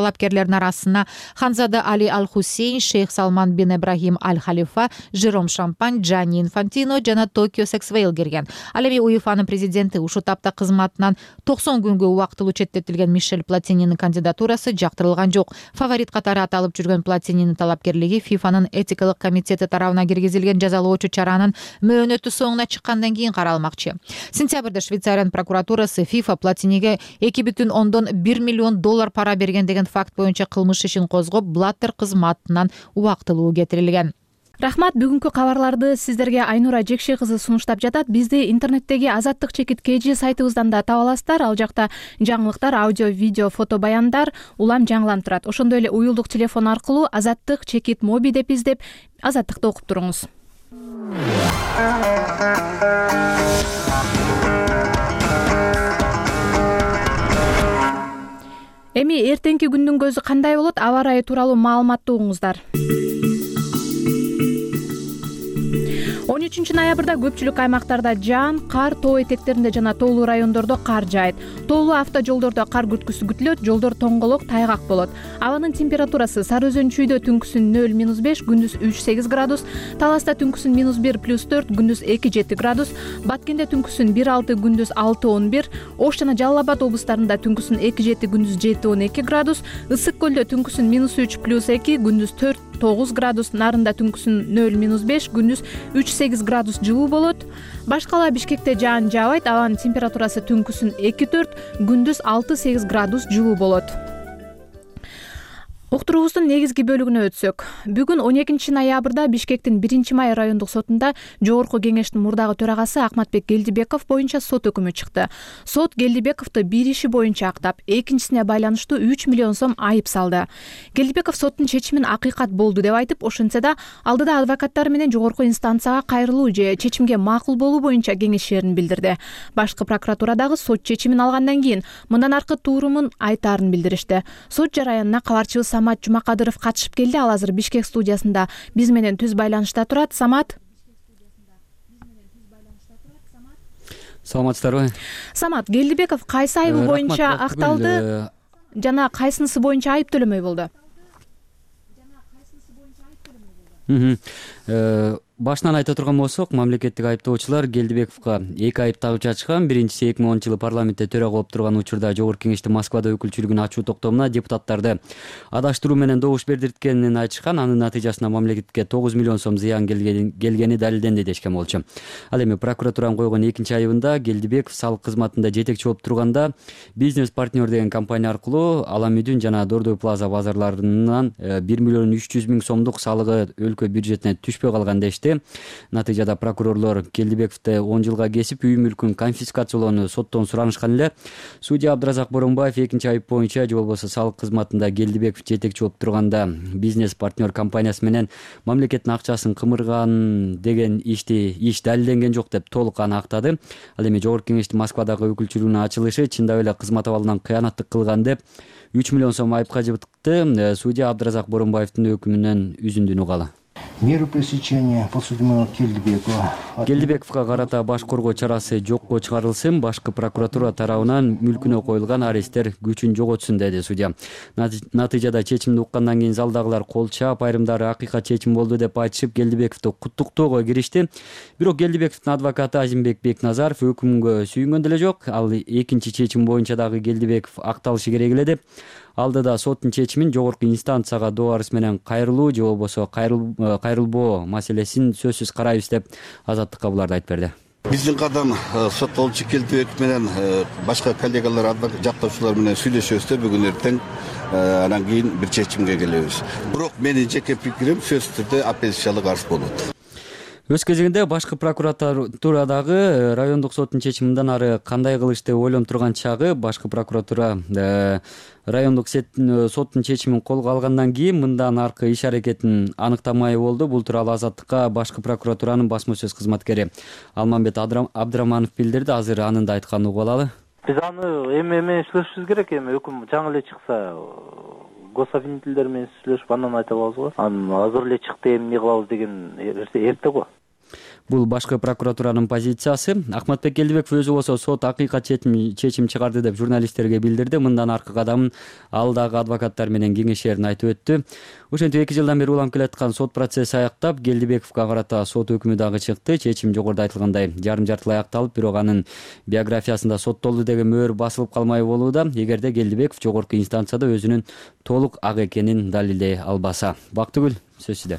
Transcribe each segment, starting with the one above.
Талапкерлердин арасына Ханзада Али Аль-Хусейн, Шейх Салман бин Ибрахим Аль-Халифа, Жером Шампань, Джанни Инфантино жана Токио Сексвейл кирген. Ал эми УЕФАнын президенти ушул тапта кызматынан 90 күнгө убактылуу четтетилген Мишель Платининин кандидатурасы жактырылган жок. Фаворит катары аталып жүргөн Платининин талапкерлиги ФИФАнын этикалык комитети тарабынан киргизилген жазалоочу чаранын мөөнөтү соңуна чыккандан кийин каралмакчы. Сентябрда Швейцариянын прокуратурасы ФИФА Платиниге $2,1 миллион пара берген деген факт боюнча кылмыш ишин козгоп, Блаттер кызматынан убактылуу кетирилген. Рахмат, бүгүнкү кабарларды сиздерге Айнура Жекше кызы сунуштап жатат. Бизди интернеттеги Азаттык чекит KG сайтыбыздан да таба аласыздар. Ал жакта жаңылыктар, аудио, видео, фото баяндар улам жаңыланып турат. Ошондой эле уюлдук телефон аркылуу Азаттык чекит моби деп издеп, Азаттыкты окуп туруңуз. Эми эртеңки күндүн көзү кандай болот? Аба ырайы тууралуу маалыматты угуңуздар. 13 ноябрда көпчүлүк аймактарда жаан, кар, тоо этектеринде жана тоолуу райондордо кар жаайт. Тоолуу автожолдордо кар күрткүсү күтүлөт, жолдор тоңголок, тайгак болот. Абанын температурасы Сары Өзөн чүйдө түнкүсүн 0-5, күндүз 3-8 градус, Таласта түнкүсүн -1+4, күндүз 2-7 градус, Баткенде түнкүсүн 1-6, күндүз 6-11, Ош жана Жалал Абад облустарында түнкүсүн 2-7, күндүз 7-12 градус, Ысык көлдө түнкүсүн -3+2, күндүз 4-9 градус, Нарында түнкүсүн 0-5, күндүз 3-8 градус жылуу болот. Башкала Бишкекте жаан жаабайт, абанын температурасы түнкүсүн 2-4, күндүз 6-8 градус жылуу болот. Уктуруубуздун негизги бөлүгүнө өтсөк, бүгүн 12 ноябрда Бишкектин 1-Май райондук сотунда Жогорку кеңештин мурдагы төрагасы Акматбек Келдибеков боюнча сот өкүмү чыкты. Сот Келдибековду бир иши боюнча актап, экинчисине байланыштуу 3 миллион сом айып салды. Келдибеков соттун чечимин акыйкат болду деп айтып, ошентсе да алдыда адвокаттары менен жогорку инстанцияга кайрылуу же чечимге макул болуу боюнча кеңешерин билдирди. Башкы прокуратурадагы сот чечимин алгандан кийин мындан аркы туурумун айтаарын билдиришти. Сот жараянына кабарчыбыз Самат Жумакадыров катышып келди. Ал азыр Бишкек студиясында биз менен түз байланышта турат. Самат. Саламатсыздарбы? Самат, Келдибеков кайсы айыбы боюнча акталды жана кайсынысы боюнча айып төлөмөй болду? Башынан айта турган болсок, мамлекеттик айыптоочулар Келдибековго 2 айып тагып жатышкан. Биринчиси 2010-жылы парламентте төрага болуп турган учурда Жогорку кеңештин Москвада өкүлчүлүгүн ачуу токтомуна депутаттарды адаштыруу менен добуш бердирткенин айтышкан. Анын натыйжасында мамлекетке 9 миллион сом зыян келгени далилденди дешкен болчу. Ал эми прокуратуранын койгон экинчи айыбында Келдибеков салык кызматында жетекчи болуп турганда Бизнес партнер деген компания аркылуу Аламүдүн жана Дордой Плаза базарларынан 1 миллион 300 миң сомдук салыгы өлкө бюджетине түшпөй калган дешти. Натыйжада прокурорлор Келдибековду 10 жылга кесип, үй мүлкүн конфискациялоону соттон суранышкан эле. Судья Абдыразак Боронбаев экинчи айып боюнча же болбосо салык кызматында Келдибеков жетекчи болуп турганда бизнес партнер компаниясы менен мамлекеттин акчасын кымырган деген иш далилденген жок деп толук аны актады. Ал эми Жогорку кеңештин Москвадагы өкүлчүлүгүнүн ачылышы чындап эле кызмат абалынан кыянаттык кылган деп 3 миллион сом айыпка жыбытты. Судья Абдыразак Боронбаевдин өкүмүнөн үзүндүн угалы. Меру пресечения подсудимого Келдибековго карата баш коргоо чарасы жокко чыгарылсын, башкы прокуратура тарабынан мүлкүнө коюлган аресттер күчүн жоготсун, деди судья. Натыйжада чечимди уккандан кийин залдагылар кол чаап, айрымдары акыйкат чечим болду деп айтышып, Келдибековду куттуктоого киришти. Бирок Келдибековдун адвокаты Азимбек Бекназаров өкүмгө сүйүнгөн деле жок. Ал экинчи чечим боюнча дагы Келдибеков акталышы керек эле деп, алдыда соттун чечимин жогорку инстанцияга доо арыз менен кайрылуу же болбосо кайрылбоо маселесин сөзсүз карайбыз деп Азаттыкка буларды айтып берди. Биздин кадам соттолчу Келдибеков менен башка коллегалар, жактоочулар менен сүйлөшөбүз да бүгүн эртең, анан кийин бир чечимге келебиз. Бирок менин жеке пикирим сөзсүз түрдө апелляциялык арыз болот. Өз кезегинде башкы прокуратурадагы райондук соттун чечиминден ары кандай кылыш деп ойлонуп турган чагы башкы прокуратура райондук соттун чечимин колго алгандан кийин мындан аркы иш аракетин аныктамай болду. Бул тууралуу Азаттыкка башкы прокуратуранын басма сөз кызматкери Алмамбет Абдыраманов билдирди. Азыр анын да айтканын угуп алалы. Биз аны эми сүйлөшүбүз керек. Эми өкүм жаңы эле чыкса гособвинителдер менен сүйлөшүп андан айта алабыз го. Анан азыр эле чыкты, эми эмне кылабыз деген эрте го. Бул башкы прокуратуранын позициясы. Акматбек Келдибеков өзү болсо сот акыйкат чечим чыгарды деп журналисттерге билдирди. Мындан аркы кадамын ал дагы адвокаттар менен кеңешерин айтып өттү. Ошентип 2 жылдан бери уланып келаткан сот процесси аяктап, Келдибековго карата сот өкүмү дагы чыкты. Чечим жогоруда айтылгандай жарым-жартылай аякталып, бирок анын биографиясында соттолду деген мөөр басылып калмай болууда, эгерде Келдибеков жогорку инстанцияда өзүнүн толук ак экенин далилдей албаса. Бактыгүл, сөз сизде.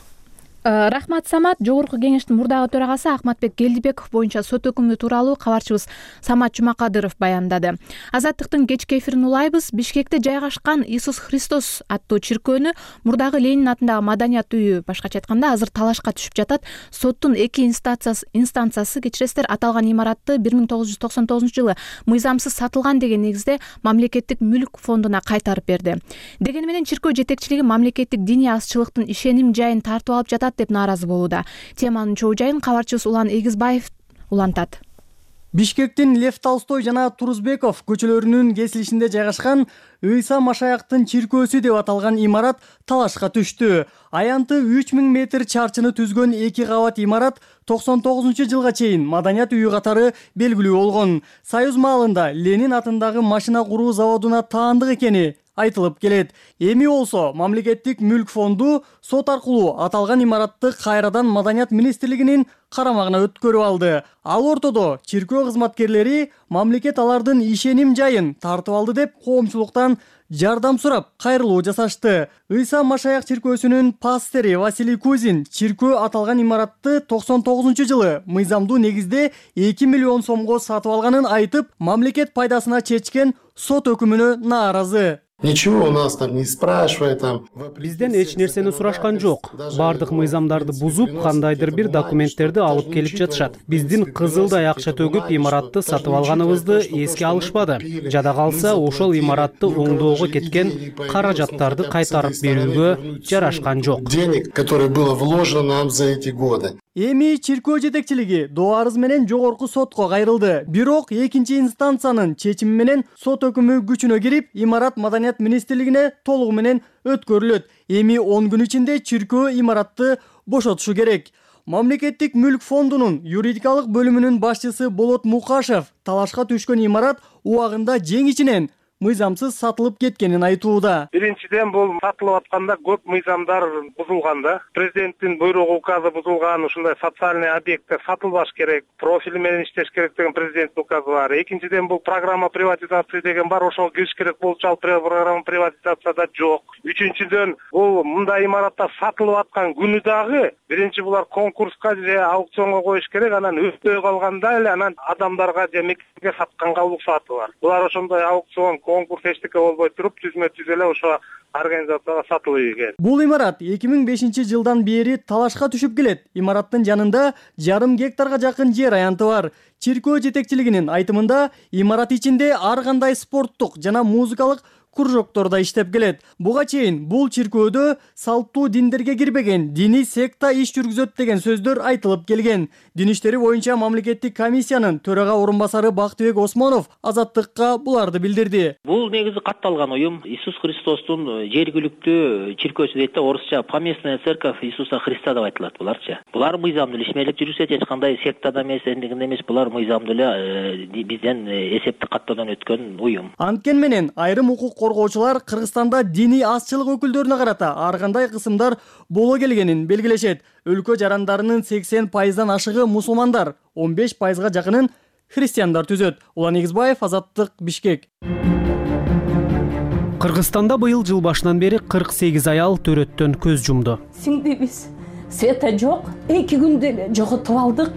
Рахмат, Самат. Жогорку кеңештин мурдагы төрагасы Акматбек Келдибеков боюнча сот өкүмү тууралуу кабарчыбыз Самат Жумакадыров баяндады. Азаттыктын кечки эфирин улайбыз. Бишкекте жайгашкан Иисус Христос аттуу чиркөөнү мурдагы Ленин атындагы маданият үйү, башкача айтканда, азыр талашка түшүп жатат. Соттун 2 инстанциясы кечиресиздер, аталган имаратты 1999-жылы мыйзамсыз сатылган деген негизде мамлекеттик мүлк фондуна кайтарып берди. Дегени менен чиркөө жетекчилиги мамлекеттик диний азчылыктын ишеним жайын тартып алып жатат деп нааразы болууда. Теманын чоо жайын кабарчыбыз Улан Эгизбаев улантат. Бишкектин Лев Толстой жана Турузбеков көчөлөрүнүн кесилишинде жайгашкан Ыйса Машаяктын чиркөөсү деп аталган имарат талашка түштү. Аянты 3000 метр чарчыны түзгөн 2 кабат имарат 99-жылга чейин маданият үйү катары белгилүү болгон. Союз маалында Ленин атындагы машина куруу заводуна таандык экени айтылып келет. Эми болсо мамлекеттик мүлк фонду сот аркылуу аталган имаратты кайрадан Маданият министрлигинин карамагына өткөрүп алды. Ал ортодо чиркөө кызматкерлери мамлекет алардын ишеним жайын тартып алды деп коомчулуктан жардам сурап кайрылуу жасашты. Ыйса Машаяк чиркөөсүнүн пастыры Василий Кузин чиркөө аталган имаратты 99-жылы мыйзамдуу негизде 2 миллион сомго сатып алганын айтып, мамлекет пайдасына чечкен сот өкүмүнө нааразы. Ничего у нас там не спрашивай там. Бизден эч нерсени сурашкан жок. Бардык мыйзамдарды бузуп, кандайдыр бир документтерди алып келип жатышат. Биздин кызылдай акча төгүп имаратты сатып алганыбызды эске алышпады. Жада калса, ошол имаратты оңдоого кеткен каражаттарды кайтарып берүүгө жарашкан жок. Денег, которое было вложено нам за эти годы. Эми чиркөө жетекчилиги доо арыз менен жогорку сотко кайрылды. Бирок 2 инстанциянын чечими менен сот өкүмү күчүнө кирип, имарат Маданият министрлигине толугу менен өткөрүлөт. Эми 10 күн ичинде чиркөө имаратты бошотушу керек. Мамлекеттик мүлк фондунун юридикалык бөлүмүнүн башчысы Болот Мукашев талашка түшкөн имарат убагында жеңичинен мыйзамсыз сатылып кеткенин айтууда. Биринчиден бул сатылып атканда көп мыйзамдар бузулганда, президенттин буйругу указы бузулган, ушундай социальный объекттер сатылбаш керек, профили менен иштеш керек деген президенттин указы бар. Экинчиден бул программа приватизации деген бар, ошого кириш керек болчу, ал программа приватизацияда жок. Үчүнчүдөн бул мындай имараттар сатылып аткан күнү дагы биринчи булар конкурска же аукционго коюш керек, анан өтпөй калганда эле анан адамдарга же мекемеге сатканга уруксаты бар. Булар ошондой аукцион конкурс эчтеке болбой туруп түзмө-түз эле ошо организацияга сатылып ийген. Бул имарат 2005-жылдан бери талашка түшүп келет. Имараттын жанында 1,5 гектарга жакын жер аянты бар. Чиркөө жетекчилигинин айтымында имарат ичинде ар кандай спорттук жана музыкалык кружокторда иштеп келет. Буга чейин бул чиркөөдө салттуу диндерге кирбеген диний секта иш жүргүзөт деген сөздөр айтылып келген. Дин иштери боюнча мамлекеттик комиссиянын төрага орун басары Бактыбек Осмонов Азаттыкка буларды билдирди. Бул негизи катталган уюм Иисус Христостун жергиликтүү чиркөөсү дейт да, орусча поместная церковь Иисуса Христа деп айтылат буларчы. Булар мыйзамдуу эле ишмерлеп жүрүшөт, эч кандай сектада эмес, эндигинде эмес, булар мыйзамдуу эле бизден эсептик каттоодон өткөн уюм. Анткени менен айрым укук коргоочулар Кыргызстанда диний азчылык өкүлдөрүнө карата ар кандай кысымдар боло келгенин белгилешет. Өлкө жарандарынын 80%дан ашыгы мусулмандар, 15%га жакынын христиандар түзөт. Улан Эгизбаев, Азаттык, Бишкек. Кыргызстанда быйыл жыл башынан бери 48 аял төрөттөн көз жумду. Сиңдибиз света жок, 2 күндө эле жоготуп алдык.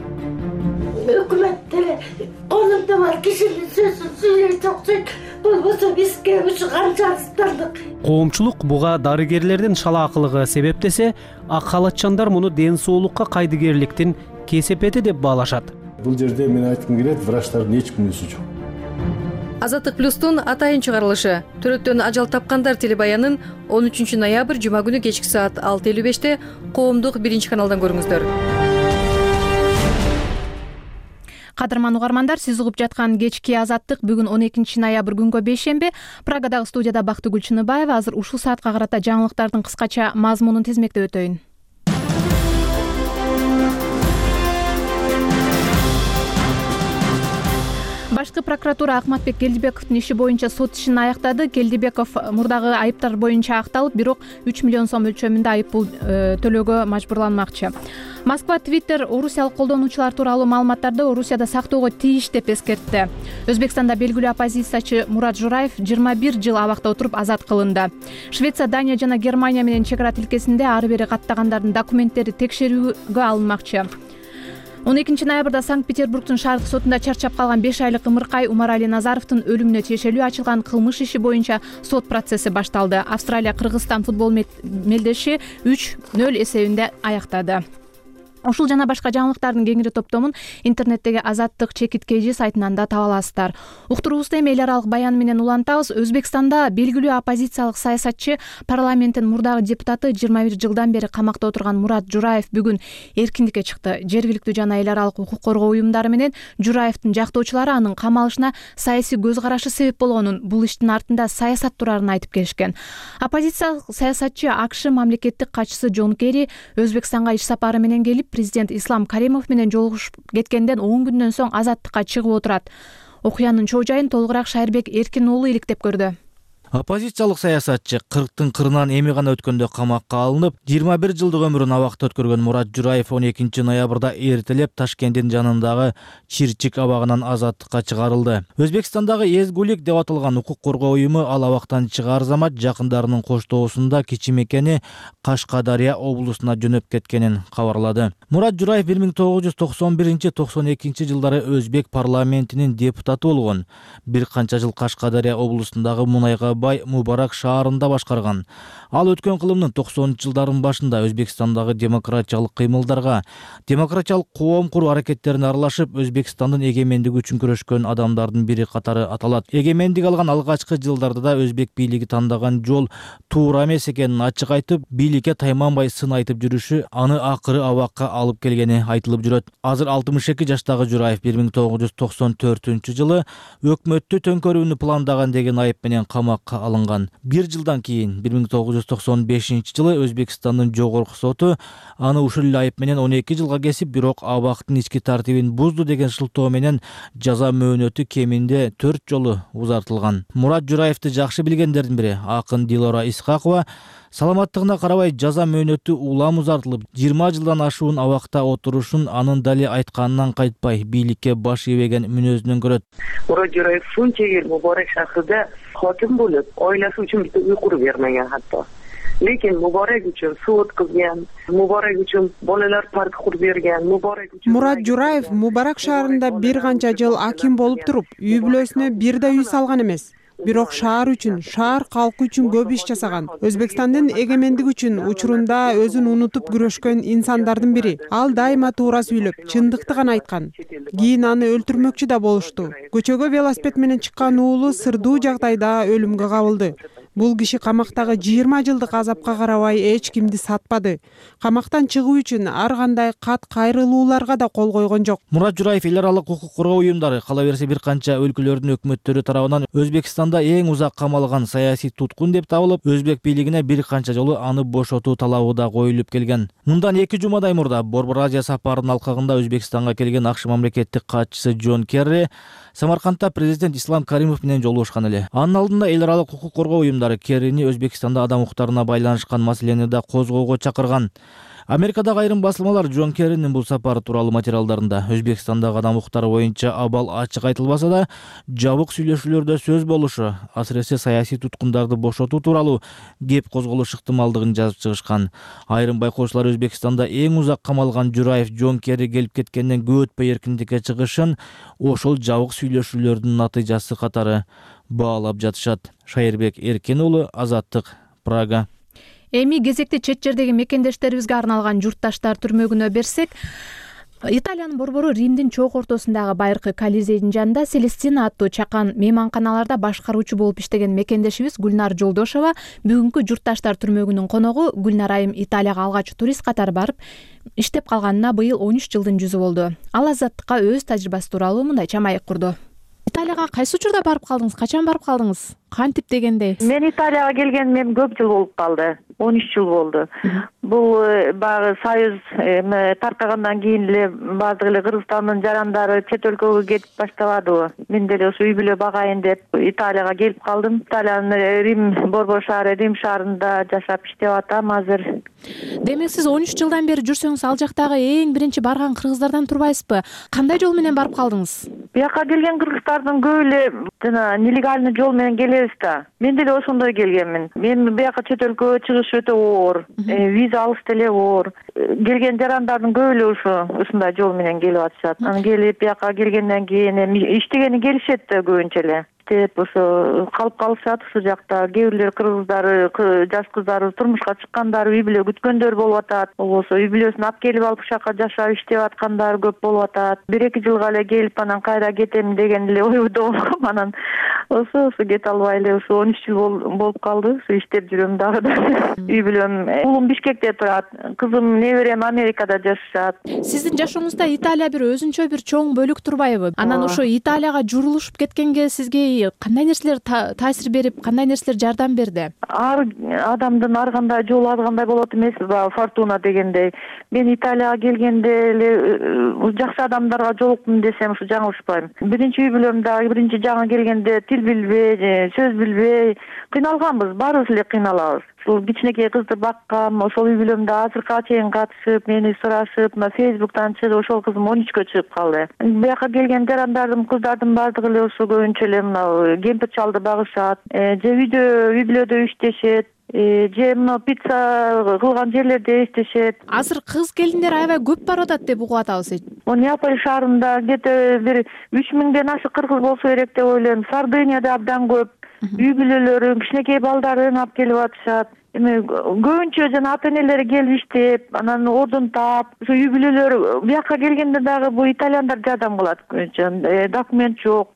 Өкмөттөр колунда бар кишинин сөзүн сүйлөйт окшойт. Болбосо бизге ушу канча арыздандык. Коомчулук буга дарыгерлердин шалаакылыгы себеп десе, ак халатчандар муну ден соолукка кайдыгерликтин кесепети деп баалашат. Бул жерде мен айткым келет, врачтардын эч күнөөсү жок. Азаттык плюстун атайын чыгарылышы. Төрөттөн ажал тапкандар телебаянын 13 ноябрь жума күнү кечки саат 6:55 коомдук 1 каналдан көрүңүздөр. Кадырман угармандар, сиз угуп жаткан кечки Азаттык бүгүн 12 ноябрь күнгө бейшемби. Прагадагы студияда Бактыгүл Чыныбаева. Азыр ушул саатка карата жаңылыктардын кыскача мазмунун тизмектеп өтөйүн. Башкы прокуратура Акматбек Келдибековдун иши боюнча сот ишин аяктады. Келдибеков мурдагы айыптар боюнча акталып, бирок 3 миллион сом өлчөмүндө айып пул төлөөгө мажбурланмакчы. Москва Twitter орусиялык колдонуучулар тууралуу маалыматтарды Орусияда сактоого тийиш деп эскертти. Өзбекстанда белгилүү оппозициячы Мурат Жураев 21 жыл абакта отуруп азат кылынды. Швеция, Дания жана Германия менен чек ара тилкесинде ары бери каттагандардын документтери текшерүүгө алынмакчы. 12 ноябрда Санкт-Петербургдун шаардык сотунда чарчап калган 5 айлык ымыркай Умарали Назаровдун өлүмүнө тиешелүү ачылган кылмыш иши боюнча сот процесси башталды. Австралия Кыргызстан футбол мелдеши 3-0 эсебинде аяктады. Ушул жана башка жаңылыктардын кеңири топтомун интернеттеги Азаттык чекиткейжи сайтынан да таба аласыздар. Уктуруубузду эми эл аралык баян менен улантабыз. Өзбекстанда белгилүү оппозициялык саясатчы, парламенттин мурдагы депутаты 21 жылдан бери камакта отурган Мурат Жураев бүгүн эркиндикке чыкты. Жергиликтүү жана эл аралык укук коргоо уюмдары менен Жураевдин жактоочулары анын камалышына саясий көз карашы себеп болгонун, бул иштин артында саясат турарын айтып келишкен. Оппозициялык саясатчы АКШ мамлекеттик катчысы Джон Керри Өзбекстанга иш сапары менен келип, президент Ислам Каримов менен жолугушуп кеткенден 10 күндөн соң азаттыкка чыгып отурат. Окуянын чоо жайын толугураак Шайырбек Эркин уулу иликтеп көрдү. Оппозициялык саясатчы 40-тын кырынан эми гана өткөндө камакка алынып, 21 жылдык өмүрүн абакта өткөргөн Мурат Жураев 12 ноябрда эртелеп Ташкенттин жанындагы Чирчик абагынан азаттыкка чыгарылды. Өзбекстандагы Эзгулик деп аталган укук коргоо уюму ал абактан чыгаар замат жакындарынын коштоосунда кичи мекени Кашкадария облусуна жөнөп кеткенин кабарлады. Мурат Жураев 1991-92 жылдары Өзбек парламентинин депутаты болгон. Бир канча жыл Кашкадария облусундагы мунайга бай Мубарак шаарында башкарган. Ал өткөн кылымдын 90-жылдардын башында Өзбекстандагы демократиялык кыймылдарга, демократиялык коом куруу аракеттерине аралашып, Өзбекстандын эгемендиги үчүн күрөшкөн адамдардын бири катары аталат. Эгемендик алган алгачкы жылдарда да өзбек бийлиги тандаган жол туура эмес экенин ачык айтып, бийликке тайманбай сын айтып жүрүшү аны акыры абакка алып келгени айтылып жүрөт. Азыр 62 жаштагы Жураев 1994-жылы өкмөттү төңкөрүүнү пландаган деген айып менен камакка алынган. Бир жылдан кийин 1995-жылы Өзбекстандын жогорку соту аны ушул эле айып менен 12 жылга кесип, бирок абактын ички тартибин бузду деген шылтоо менен жаза мөөнөтү кеминде 4 жолу узартылган. Мурат Жураевди жакшы билгендердин бири акын Дилора Исхакова саламаттыгына карабай жаза мөөнөтү улам узартылып, 20 жылдан ашуун абакта отурушун анын дали айтканынан кайтпай, бийликке баш ийбеген мүнөзүнөн көрөт. Мурат Жураев шунча Мубарак шаарында хатим болуп, ойласы үчүн бизге уйку бермеген хатта. Lekin Muborak uchun suv o'tkazgan, Muborak uchun bolalar park qurib bergan, Muborak uchun Мурат Жураев Мубарак шаарында бир канча жыл аким болуп туруп, үй бүлөсүнө бир да үй салган эмес. Бирок шаар үчүн, шаар калкы үчүн көп иш жасаган. Өзбекстандын эгемендиги үчүн учурунда өзүн унутуп күрөшкөн инсандардын бири. Ал дайыма туура сүйлөп, чындыкты гана айткан. Кийин аны өлтүрмөкчү да болушту. Көчөгө велосипед менен чыккан уулу сырдуу жагдайда өлүмгө кабылды. Бул киши камактагы 20 жылдык азапка карабай эч кимди сатпады. Камактан чыгуу үчүн ар кандай кат кайрылууларга да кол койгон жок. Мурат Жураев эл аралык укук коргоо уюмдары, кала берсе бир канча өлкөлөрдүн өкмөттөрү тарабынан Өзбекстанда эң узак камалган саясий туткун деп табылып, өзбек бийлигине бир канча жолу аны бошотуу талабы да коюлуп келген. Мындан 2 жумадай мурда Борбор Азия сапарынын алкагында Өзбекстанга келген АКШ мамлекеттик катчысы Джон Керри Самаркандта президент Ислам Каримов менен жолугушкан эле. Анын алдында эл аралык укук коргоо уюмдары Керрини Өзбекстанда адам укуктарына байланышкан маселени да козгоого чакырган. Америкадагы айрым басылмалар Джон Керринин бул сапары тууралуу материалдарында Өзбекстандагы адам укуктары боюнча абал ачык айтылбаса да, жабык сүйлөшүүлөрдө сөз болушу, асыресе саясий туткундарды бошотуу тууралуу кеп козголуш ыктымалдыгын жазып чыгышкан. Айрым байкоочулар Өзбекстанда эң узак камалган Жураев Джон Керри келип кеткенден көп өтпөй эркиндикке чыгышын ошол жабык сүйлөшүүлөрдүн натыйжасы катары баалап жатышат. Шайырбек Эркин уулу, Азаттык, Прага. Эми кезекте чет жердеги мекендештерибизге арналган журтташтар түрмөгүнө берсек, Италиянын борбору Римдин чоок ортосундагы байыркы Колизейдин жанында Селестина аттуу чакан мейманканаларда башкаруучу болуп иштеген мекендешибиз Гүлнар Жолдошова бүгүнкү журтташтар түрмөгүнүн коногу. Гүлнар айым Италияга алгач турист катары барып иштеп калганына быйыл 13 жылдын жүзү болду. Ал Азаттыкка өз тажрыйбасы тууралуу мындай чамайык курду. Италияга кайсы учурда барып калдыңыз? Качан барып калдыңыз? Кантип дегенде? Мен Италияга келгениме көп жыл болуп калды. 13 жыл болду. Бул баягы союз таркагандан кийин эле баардык эле Кыргызстандын жарандары чет өлкөгө кетип баштабадыбы? Мен деле ошо үй бүлө багайын деп Италияга келип калдым. Италиянын Рим Борбор шаары, Рим шаарында жашап иштеп атам азыр. Демек сиз 13 жылдан бери жүрсөңүз ал жактагы эң биринчи барган кыргыздардан турбайсызбы? Кандай жол менен барып калдыңыз? Бияка келген кыргыздардын көбү эле жана нелегальный жол менен келебиз да. Мен деле ошондой келгенмин. Мен бияка чет өлкөгө чыгыш өтө оор, виза алыш деле оор. Келген жарандардын көбү эле ушундай жол менен келип атышат. Анан келип бияка келгенден кийин иштегени келишет да көбүнчө эле. Иштеп ошо калып калышат ушул жакта. Кээ бирлер кыргыздары, жаш кыздары турмушка чыккандар, үй бүлө күткөндөр болуп атат. Болбосо үй бүлөсүн алып келип алып ушака жашап иштеп аткандар көп болуп атат. 1-2 жылга эле келип анан кайра кетем деген эле ойдо болгом. Анан ошо кете албай эле ошо 13 жыл болуп калды. Ошо иштеп жүрөм дагы да. Үй бүлөм, уулум Бишкекте турат, кызым, неберем Америкада жашашат. Сиздин жашооңузда Италия бир өзүнчө бир чоң бөлүк турбайбы? Анан ошо Италияга журулушуп кеткенге сизге кандай нерселер таасир берип, кандай нерселер жардам берди? Ар адамдын ар кандай жолу ар кандай болот эмеспи, фортуна дегендей. Мен Италияга келгенде эле жакшы адамдарга жолуктум десем ушу жаңылышпайм. Биринчи үй бүлөмдө биринчи жаңы келгенде тил билбей, сөз билбей кыйналганбыз, баарыбыз эле кыйналабыз. Ушул кичинекей кызды баккам, ошол үй бүлөмдө азыркыга чейин катышып, мени сурашып, мына Фейсбуктан чыгып, ошол кызым 13кө чыгып калды. Бияка келген жарандардын, кыздардын баардыгы эле ошо көбүнчө эле мына кемпир чалды багышат, же үй бүлөдө иштешет, же мына пицца кылган жерлерде иштешет. Азыр кыз келиндер аябай көп барып атат деп угуп атабыз. Неаполь шаарында где-то бир 3000ден ашык кыргыз болсо керек деп ойлойм. Сардынияда абдан көп. Үй бүлөлөрүн, кичинекей балдарын алып келип атышат. Эми көбүнчө жана ата энелери келип иштеп, анан ордун таап, ошо үй бүлөлөр бияка келгенде дагы бул итальяндар жардам кылат көбүнчө. Документ жок.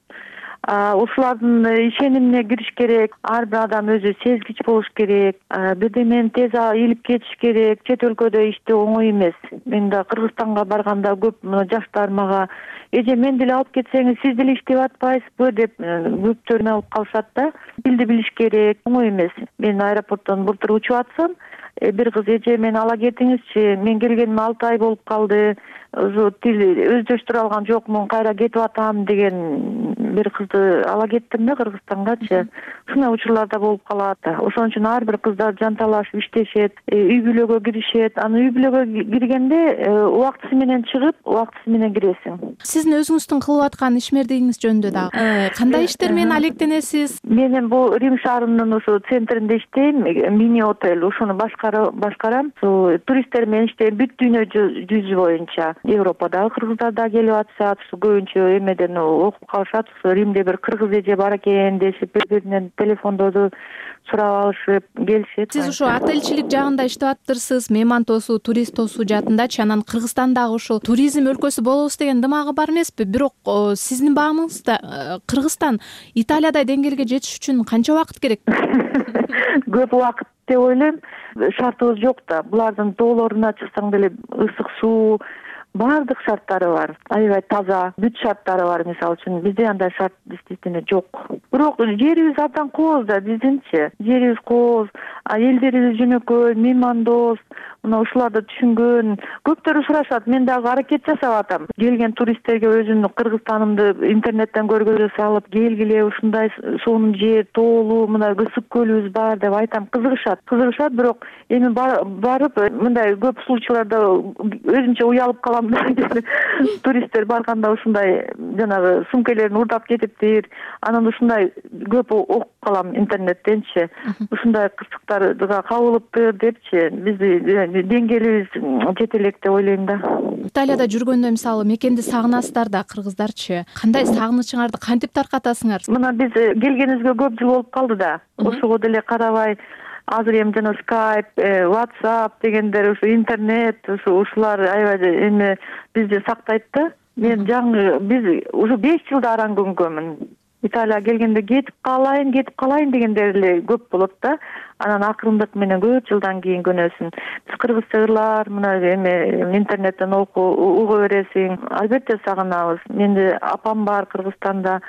Ушулардын ишенимине кириш керек. Ар бир адам өзү сезгич болуш керек. Бирдемени тез илип кетиш керек. Чет өлкөдө иштөө оңой эмес. Мен да Кыргызстанга барганда көп жаштар мага эже мен деле алып кетсеңиз, сиз деле иштеп атпайсызбы деп көптөрүн алып калышат да. Тилди билиш керек, оңой эмес. Мен аэропорттон былтыр учуп атсам, бир кыз эже мени ала кетиңизчи, мен келгениме 6 ай болуп калды. Ошо тил өздөштүрө алган жокмун, кайра кетип атам деген бир кызды ала кеттим да Кыргызстангачы. Ушундай учурларда болуп калат. Ошон үчүн ар бир кыздар жанталашып иштешет, үй бүлөгө киришет. Аны үй бүлөгө киргенде убактысы менен чыгып, убактысы менен киресиң. Сиздин өзүңүздүн кылып аткан ишмердигиңиз жөнүндө дагы кандай иштер менен алектенесиз? Мен бул Рим шаарынын ошо центринде иштейм, мини отель, ошону башкарам. Туристтер менен иштейм, бүт дүйнө жүзү боюнча. Европадагы кыргыздар да келип атышат, көбүнчө эмеден окуп калышат. Римде бир кыргыз эже бар экен дешип, бири-биринен телефондоду сурап алышып келишет. Сиз ошо отельчилик жагында иштеп атыптырсыз, мейман тосуу, турист тосуу жаатындачы. Анан Кыргызстандагы ушул туризм өлкөсү болобуз деген дымагы бар эмеспи? Бирок сиздин баамыңызда Кыргызстан Италиядай деңгээлге жетиш үчүн канча убакыт керек? Көп убакыт деп ойлойм. Шартыбыз жок да. Булардын тоолоруна чыксаң деле ысык суу, баардык шарттары бар. Аябай таза, бүт шарттары бар. Мисалы үчүн бизде андай шарт действительно жок. Бирок жерибиз абдан кооз да биздинчи. Жерибиз кооз, элдерибиз жөнөкөй, меймандос. Мына ушуларды түшүнгөн көптөрү сурашат. Мен дагы аракет жасап атам. Келген туристтерге өзүмдүн Кыргызстанымды интернеттен көргөзө салып, келгиле ушундай сонун жер, тоолуу, мына ысык көлүбүз бар деп айтам. Кызыгышат, бирок эми барып мындай көп случайларда өзүмчө уялып калам да. Туристтер барганда ушундай жанагы сумкалерин урдап кетиптир. Анан ушундай көп окуп калам интернеттенчи. Ушундай кырсыктарга кабылыптыр депчи. Бизди деңгээлибиз жете элек деп ойлойм да. Италияда жүргөндө мисалы мекенди сагынасыздар да, кыргыздарчы. Кандай сагынычыңарды кантип таркатасыңар? Мына биз келгенибизге көп жыл болуп калды да. Ошого деле карабай азыр эми жана Skype, WhatsApp дегендер, ушу интернет, ушулар аябай эми бизди сактайт да. Мен биз уже 5 жылда аран көнгөнмүн. Италияга келгенде кетип калайын дегендер эле көп болот да. Анан акырындык менен көп жылдан кийин көнөсүн. Биз кыргызча ырлар, мына эми интернеттен уга бересиң. Албетте сагынабыз. Менде апам бар Кыргызстанда.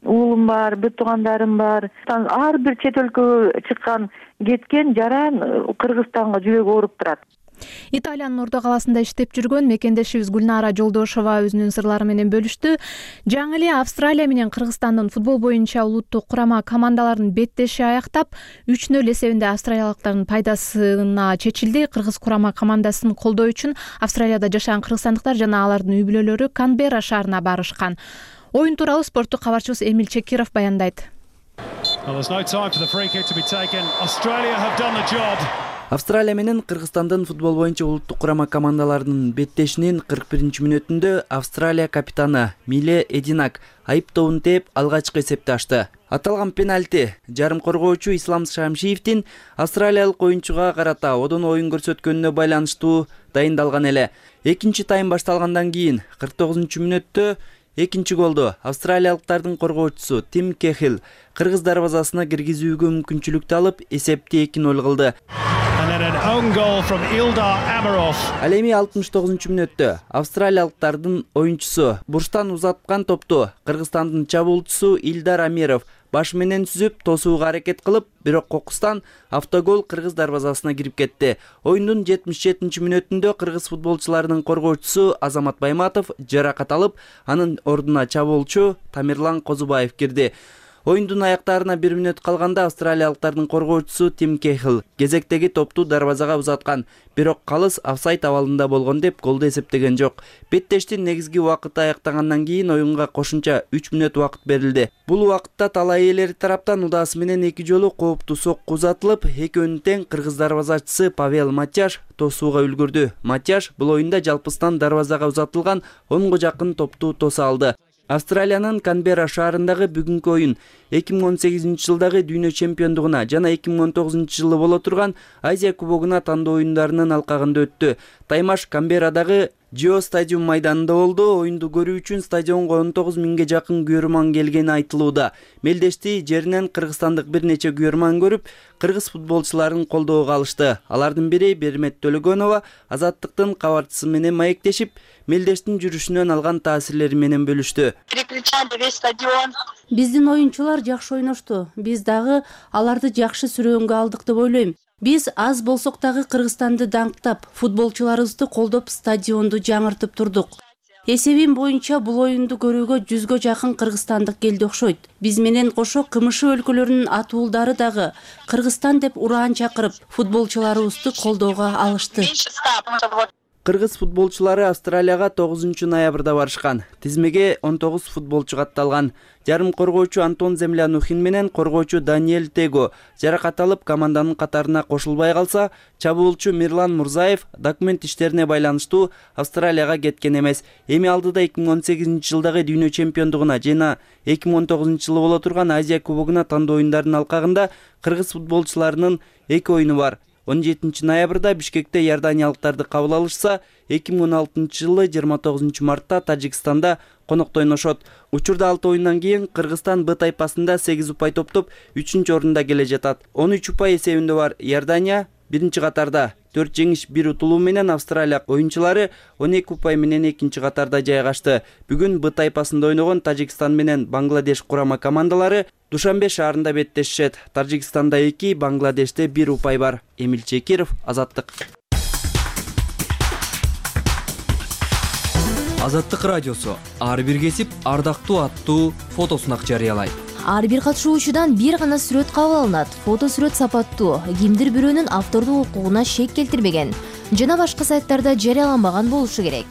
уулум бар, бүт туугандарым бар. Ар бир чет өлкөгө чыккан, кеткен жаран Кыргызстанга жүрөгү ооруп турат. Италиянын Ордо каласында иштеп жүргөн мекендешибиз Гүлнара Жолдошова өзүнүн сырлары менен бөлүштү. Жаңы эле Австралия менен Кыргызстандын футбол боюнча улуттук курама командаларынын беттеши аягдап, 3-0 эсебинде австралиялыктардын пайдасына чечилди. Кыргыз курама командасын колдоо үчүн Австралияда жашаган кыргызстандыктар жана алардын үй бүлөлөрү Канберра шаарына барышкан. Оюн тууралуу спорттук кабарчыбыз Эмил Чекиров баяндайт. Австралия менен Кыргызстандын футбол боюнча улуттук курама командаларынын беттешинин 41-мүнөтүндө Австралия капитаны Миле Эдинак айыптообун тээп алгачкы эсепти ачты. Аталган пенальти жарым коргоочу Ислам Шамшиевдин австралиялык оюнчуга карата одон оюн көрсөткөнүнө байланыштуу дайындалган эле. Экинчи тайм башталгандан кийин 49-мүнөттө экинчи голду австралиялыктардын коргоочусу Тим Кехил кыргыз дарбазасына киргизүүгө мүмкүнчүлүктү алып эсепти 2-0 кылды. Ал эми 69-мүнөттө австралиялыктардын оюнчусу бурчтан узаткан топту Кыргызстандын чабуулчусу Илдар Амиров баш менен сүзүп тосууга аракет кылып, бирок кокустан автогол кыргыз дарбазасына кирип кетти. Оюндун 77-мүнөтүндө кыргыз футболчуларынын коргоочусу Азамат Байматов жаракат алып, анын ордуна чабуулчу Тамирлан Козубаев кирди. Оюндун аяктарына 1 мүнөт калганда австралиялыктардын коргоочусу Тим Кехил кезектеги топту дарбазага узаткан, бирок калыс офсайд абалында болгон деп голду эсептеген жок. Беттештин негизги убакыты аяктагандан кийин оюнга кошумча 3 мүнөт убакыт берилди. Бул убакытта талай ээлери тараптан удасы менен 2 жолу кооптуу сокку узатылып, экөөнүн тең кыргыз дарбазачысы Павел Матяш тосууга үлгүрдү. Матяш бул оюнда жалпысынан дарбазага узатылган 10го жакын топту тоса алды. Австралиянын Канберра шаарындагы бүгүнкү оюн 2018 жылдагы дүйнө чемпиондугуна жана 2019 жылы боло турган Азия кубогуна тандоо оюндарынын алкагында өттү. Таймаш Канберрадагы Джио стадиум майданында болду. Оюнду көрүү үчүн стадионго 19 миңге жакын күйөрман келгени айтылууда. Мелдешти жеринен кыргызстандык бир нече күйөрман көрүп, кыргыз футболчуларын колдоого алышты. Алардын бири Бермет Төлөгөнова Азаттыктын кабарчысы менен маектешип, Мелдештин жүрүшүнөн алган таасирлери менен бөлүштү. Биздин оюнчулар жакшы ойношту. Биз дагы аларды жакшы сүрөөнгө алдык деп ойлойм. Биз аз болсок дагы Кыргызстанды даңктап, футболчуларыбызды колдоп, стадионду жаңыртып турдук. Эсебим боюнча бул оюнду көрүүгө 100гө жакын кыргызстандык келди окшойт. Биз менен кошо КМШ өлкөлөрүнүн атуулдары дагы Кыргызстан деп ураан чакырып, футболчуларыбызды колдоого алышты. Кыргыз футболчулары Австралияга 9 ноябрда барышкан. Тизмеге 19 футболчу катталган. Жарым коргоочу Антон Землянухин менен коргоочу Даниэль Tego жаракат алып команданын катарына кошулбай калса, чабуулчу Мирлан Мурзаев документ иштерине байланыштуу Австралияга кеткен эмес. Эми алдыда 2018 жылдагы дүйнө чемпиондугуна жана 2019 жылы боло турган Азия кубогуна тандоо оюндарынын алкагында кыргыз футболчуларынын 2 оюну бар. 17 ноябрда Бишкекте иорданиялыктарды кабыл алышса, 2016 жылы 29 мартта Тажикстанда конокто ойношот. Учурда 6 оюндан кийин Кыргызстан Б тайпасында 8 упай топтоп 3-орунда келе жатат. 13 упай эсебинде бар Иордания биринчи катарда 4 жеңиш 1 утулуу менен Австралия оюнчулары 12 упай менен экинчи катарда жайгашты. Бүгүн Б тайпасында ойногон Тажикстан менен Бангладеш курама командалары Душанбе шаарында беттешет. Тажикстанда 2, Бангладеште 1 упай бар. Эмил Чекиров, Азаттык. Азаттык радиосу ар бир кесип ардактуу аттуу фотосун жарыялайт. Ар бир катышуучудан бир гана сүрөт кабыл алынат. Фото сүрөт сапаттуу, кимдир бирөөнүн автордук укугуна шек келтирбеген жана башка сайттарда жарыяланбаган болушу керек.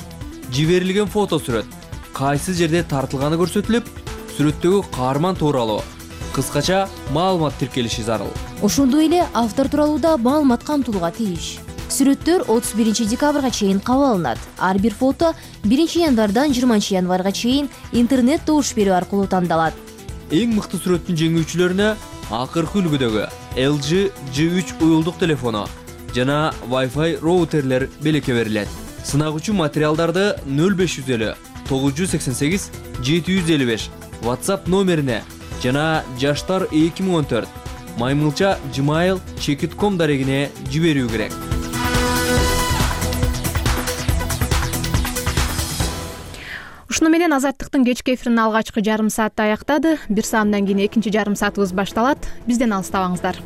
Жиберилген фото сүрөт кайсы жерде тартылганы көрсөтүлүп, сүрөттөгү каарман тууралуу кыскача маалымат тиркелиши зарыл. Ошондой эле автор тууралуу да маалымат камтылууга тийиш. Сүрөттөр 31 декабрга чейин кабыл алынат. Ар бир фото 1 январдан 20 январга чейин интернет добуш берүү аркылуу тандалат. Эң мыкты сүрөттүн жеңүүчүлөрүнө акыркы үлгүдөгү LG G3 уюлдук телефону жана Wi-Fi роутерлер белекке берилет. Сынагучу материалдарды 0550 988 755 WhatsApp номерине жана жаштар 2014 maymilcha@gmail.com дарегине жиберүү керек. Ушуну менен Азаттыктын кечки эфиринин алгачкы жарым сааты аяктады. 1 сааттан кийин экинчи жарым саатыбыз башталат. Бизден алыстабаңыздар.